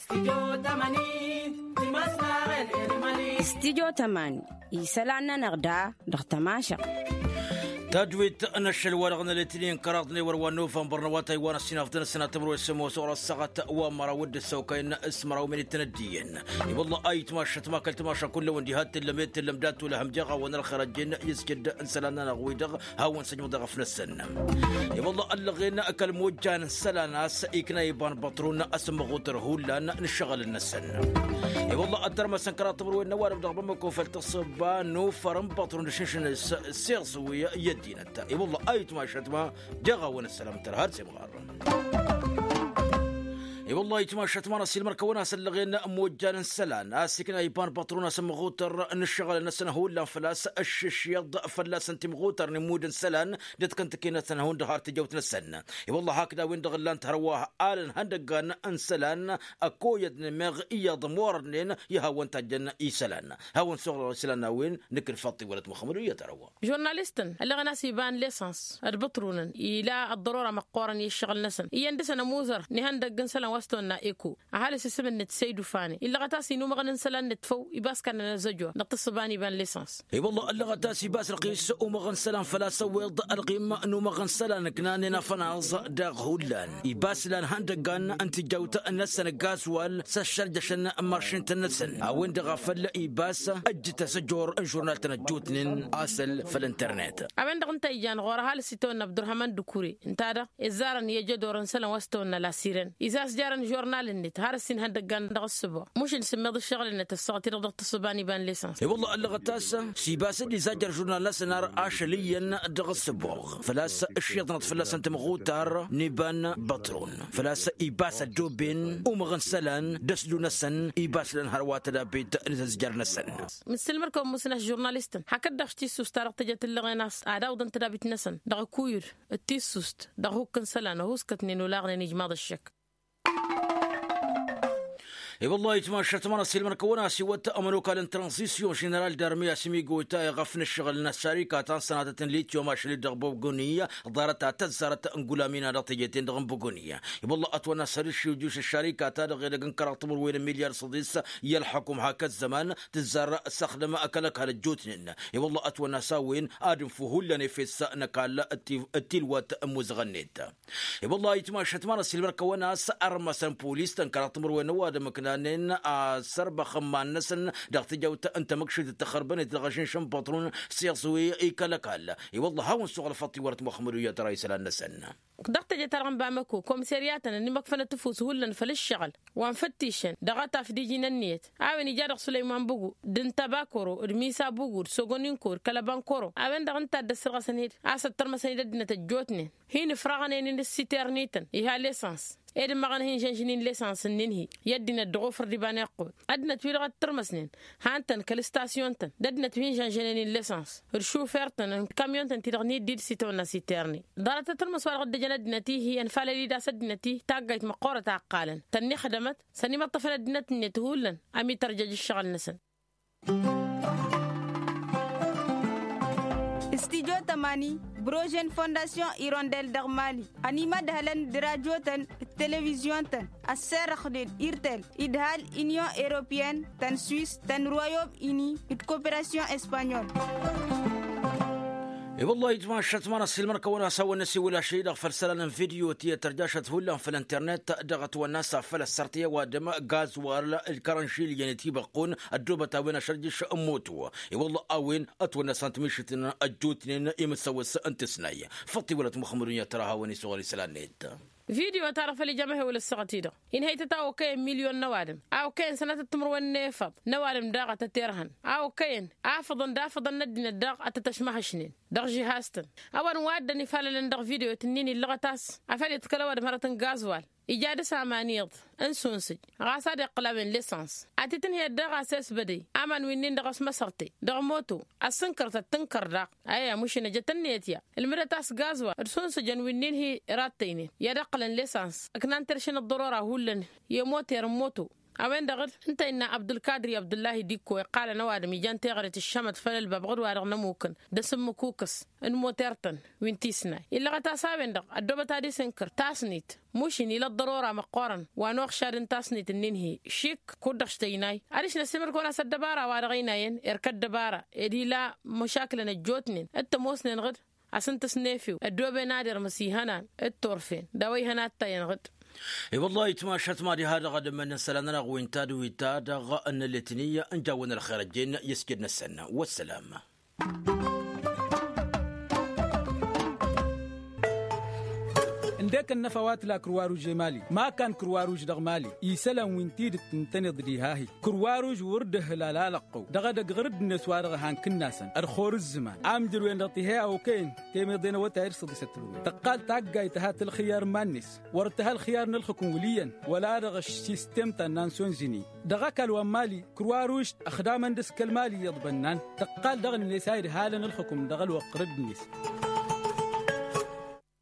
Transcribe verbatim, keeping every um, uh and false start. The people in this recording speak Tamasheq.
Stidyo tămani isălan-nănăɣ da dăɣ-tămašăɣ. Tadwit n-ašăl wa dăɣ-nălăy tǝlin kăraḍ n-ewăr wa n-novămbăr n-awătay wa n-ăssinafdăn ăssinatămăr wa s-ămoos ɣur-ăssaɣăt wa n-măraw d-ăssăwkăyăn s-măraw minit n-ăddiyăn. I-wălla a itmašăt ma kăl-tamaša kullăwăn diha t-tǝllăm i-tǝllăm dat-wăla hăm jeɣ-awăn ălxer ăjjeen i-ăskădd n-isălan-nănăɣ wi-dăɣ hawăn-săjmăḍ i-ɣăf-năsăn. I-wălla ăllăɣen kăl-mojjan n-isălan a-s ikna iba n-băṭrun a-s ămmăɣutăr hullan n-ǝššăɣǝl-năsăn. I-wălla ăttărmăsăn kăraḍ timǝrwen n-ăwadǝm dăɣ-bamăko făll-tǝssǝba n-ufăr n-băṭrun d-ašǝnšǝn s-siɣẓǝwi i-ăddinăt. I-wălla a itmašăt ma jeɣ-awăn ăssălam tărha d-semɣar. I-wălla a itmašăt ma n-ăssiilmăr-kăwăn a-s ăllăɣen mojjan n-isălan a-s ikna iba n-băṭrun a-s ămmăɣutăr n-ǝššăɣǝl-năsăn hullan făl-a-s ǝššǝššǝyăḍ fălla-săn timɣutăr n-immud n-isălan d-ătkăntǝke-năsăn hundăɣ har tijăwt-năsăn. I-wălla hakd a-wen-dăɣ ǝllan-t hărwa alăn ihăndăggan n-isălan ăkoyădnen meɣ iyyăḍ ămorădnen i-hawăn-tajjăn isălan. Hawăn-suɣǝlăɣ isălan n-a-wen nǝkk ǝlfaḍt-i wălăt muxămmăd uyyăt ărăwwa. Žurnalistăn ăllăɣen a-s iba n-lisăns d-băṭrunăn ila ăḍḍărora măqqoorăn i-ǝššăɣǝl-năsăn iyyăn dăr-săn ămuzăr n-ihăndăgg n-isălan wa s-tăwănna eko. Ăhalǝs isǝm-net săydufane illăɣăt a-s inumăɣăn n-isălan-net făw iba s-kannăn ăzzăjor dăɣ-tǝssǝba n-iba n-lisăns. I-wălla ăllăɣăt a-s iba s-răɣis umăɣăn isălan făl-a-s ăwweḍ ălɣim n-umăɣăn isălan ǝknanen afănaẓ daɣ hullan iba s-lan ihăndăggan n-tijawt-năsăn ăgg-azwal s-ăššărjăšăn n-mašintăn-năsăn a-wen-dăɣ a făl iba s-ăjjǝt asăjor n-žurnal-tăn ăjjootnen asăl făll-internet. A-wen-dăɣ ǝnta a ijan ɣur-ăhalǝs itawănna abdurhaman d-ukure ǝnta-dăɣ izzarăn i-ajădor n-isălan wa s-tawănna lasiren izas jarăn žurnal-net har ǝssin ihăndăggan dăɣ-ǝssǝbo mušǝl sǝmmeḍ ǝššăɣǝl-net ăssaɣăt-i-dăɣ dăɣ-tǝssǝba n-iba n-lisăns. I-wălla ăllăɣăt-as s-iba s-dd-izajjăr žurnal-năsăn ar ašăl iyyăn dăɣ-ǝssǝboɣ făl-a-s ǝššiḍnăt fălla-săn tămɣutar n-iba n-băṭrun făl-a-s iba s-ăddoben umăɣăn isălan d-ăslu-năsăn iba s-lăn hărwa tădabit n-tăzjăr-năsăn. Mǝssǝlmăr-kăwăn musǝn a-s žurnalistăn hakd-dăɣ s-tissust-ta-dăɣ tǝjăt ǝllăɣen a-s ad-awǝḍăn tădabit-năsăn dăɣ-akuyǝd d-tissust dăɣ-hukk n-isălan ăhuskătnen olaɣnen ijmaḍ ăššăk. I-wăllah itmašăt ma n-ăssiilmăn-kăwăn a-s iwăt ămănokal n-tranzisyon ženeral d-armi a-s imigota iɣăf n-ǝššăɣǝl n-ăššarikat a n-sănatăt n-lityom ašăl-dd dăɣ-bogoniya ḍarăt a tăzzarăt n-gulamin-a-dăɣ teje-ten-dăɣ n-bogoniya. I-wăllah ătwănna s-ad-ǝššǝwjǝš ăššarikat-ta-dăɣ edăgg n-kăraḍ timǝrwen n-milyar săḍis i-ălḥăkum hak ăzzăman tǝzzar s-axdăm kăl-ăkall ăjjootnen. I-wăllah ătwănna s-a-wen ad-ǝnfu hullan efes n-ăkall d-tilwat n-imuzăɣăn-net. I-wăllah itmašăt ma n-ăssiilmăr-kăwăn a-s ărmăsăn polis-tăn kăraḍ timǝrwen n-ăwadǝm ǝknanen asărbăx n-iman-năsăn dăɣ-tijawt n-tamǝkšit d-taxărbănet dăɣ-ažǝnš n-băṭrun s-iẓwi i-kăl-ăkall. I-wăllah hawăn-suɣǝlăfăḍ tiwărăt muxămmăd uyyăt ra isălan-năsăn. Dăɣ-teje-ta-dăɣ n-bamăko komisărya-tăn ănimăkfănăt ǝfus hullan făll-ǝššăɣǝl wa n-făttišăn dăɣ-ataf d-iji n-ǝnniyăt a-wen ija dăɣ-sălăyman bǝgu d-ǝnta bakoro d-misa bǝgu d-sogoninko d-kălăbankoro a-wen-dăɣ ǝnta a dd-ăssărɣăsăn-dd a-s ăttărmăsăn-dd ăddinăt ăjjootnen hin-ǝfraɣăn-en-in ǝssitern-ităn iha lesăns ed ǝmmăɣăn hin-žănžăn-in lesăns ǝnnin-hi i-ăddinăt dăɣ-ofăr d-iba n-iqqud ăddinăt-wi-dăɣ ăttărmăsnen han-tăn kăl-ǝstasyun-tăn d-ăddinăt wi hin-žănžănen-in lesăns d-šufer-tăn n-kamyon-tăn-ti-dăɣ n-iddid s-itawănna s-iterni ḍarăt atărmăs wa dăɣ-dd-ăjăn ăddinăt-i-hi ănfalăl-dd a-s ăddinăt-i taggayt măqqoorăt a ǝqqalăn tănniixdămăt s-ănimăṭṭăfăn ăddinăt-net hullan ămitărjăj ǝššăɣǝl-năsăn. Studyo tămani brožen fondasyon irondel dăɣ-mali ănimădhălăn d-rajo-tăn d-televizyon-tăn ăsserăxnen irtel idhal inyon europeyăn tăn-swis tăn-royom ini d-koperasyon espanyol. I-wăllah itmašăt ma n-ăssiilmăr-kăwăn a-s hawăn-năsiwǝl ašăl-i-dăɣ făll-isălan n-vidyo ti ătărjašăt hullan făll-internet dăɣ-ătwănna a-s afăl ăssărtăy ăwadǝm gazwal d-kărănšilyen itibăqqun ăddoobăt a-wen ašărjǝš n-moto. I-wăllah a-wen ătwănna a-s ant-mišǝtnen ăjjootnen i-imǝssăwăs n-tǝsnay. Făṭṭ-i wălăt muxămmăd unyăt tăra hawăn-isuɣǝl isălan-net. Vidyo-ta-dăɣ făl ija amăhewăl ăssaɣăt-i-dăɣ inhăytăt a okăyăn milyon n-ăwadǝm a okăyăn sănatăt timǝrwen n-efăḍ n-ăwadǝm daɣ a tăterhăn a okăyăn afǝḍăn d-afǝḍăn n-ăddinăt daɣ a tăt-ăšmăhăšnen dăɣ-žihaz-tăn. A-wa n-wa dd-ănifalălăn dăɣ-vidyo-t ǝnnin illăɣăt a-s afăl iḍkăl ăwadǝm hărăt n-gazwal ija dăr-s amaniḍ n-sunsǝj ɣas ad-iqqǝl a-wen lesăns ad-t-tǝnhǝyăt daɣ a-s esbădăy aman wi-nin-dăɣ ăsmăsărte dăɣ-moto ăssǝnkărtăt tǝnkăr daɣ. Aya mušǝn ăjăt ǝnniyăt ya ǝlmǝdăt a-s gazwal d-sunsǝjăn wi-nin-hi rattăynen i-ad-ǝqqǝlăn lesăns ǝknan terše n-ăḍḍărora hullan i-moter n-moto. A-wen-dăɣ d-ǝnta innă abdulkadir i-abdullahi d-ikko iqqalăn ăwadǝm ijan teɣăre tǝššămăt făll-ălbab ɣǝd-wa-dăɣ n-ămmukăn d-asǝmmǝkukǝs n-moter-tăn wi n-tisnay. Illăɣăt-as a-wen-dăɣ ăddoobăt ad-isǝnkăr tasnit, mušin ila ăḍḍărora măqqoorăn wa n-uɣšad n-tasnit-nin-hi šik kud-dăɣ štăynay. Adiš năssimăr-kăwăn-as ăddăbara-wa-dăɣ ăynayăn erk ăddăbara ed ila măšakǝlăn ăjjootnen d-tămoosnen ɣǝd asǝntǝs n-efew ăddooben ad-irmǝs ihănan d-turfen d-a-wa ihăn attayăn ɣǝd. I-wăllah itmašat mad-iha-dăɣ ad-ămmănnăn isălan-nănăɣ wi n-tadǝwit-ta-dăɣ n-ălletni n-jawwăn ălxer ăjjeen i-asjăd-năsăn. Wăssălam. Ǝndek ănnăfa wa tǝla kǝrwaruž i-mali ma ăkall kǝrwaruž dăɣ-mali isălan wi n-tidǝt ǝntăneḍ diha-hi. Kǝrwaruž wăr dd-ăhǝlal alăqqăw dăɣ-edăgg ɣǝr-dd-net wa dăɣ-ehăn kǝnnasăn ărxor ǝzzǝman amjăr-wen-dăɣ tihe a okăyăn temeḍe n-awătay d-săḍisăt tǝlwăy tăqqal taggayt tǝha tălxǝyyar n-iman-net. Wăr tǝha ălxǝyyar n-ălxǝkǝm wăl' iyyăn wăla-dăɣ ăššistem ta n-nansonzini. Dăɣ-ăkall wa n-mali kǝrwaruž ăxdamăn d-ǝskăl mali iyyăḍ bănnan tăqqal dăɣ-net a idhalăn ǝlxǝkǝm dăɣ-ălwăqq ɣǝr-dd-net.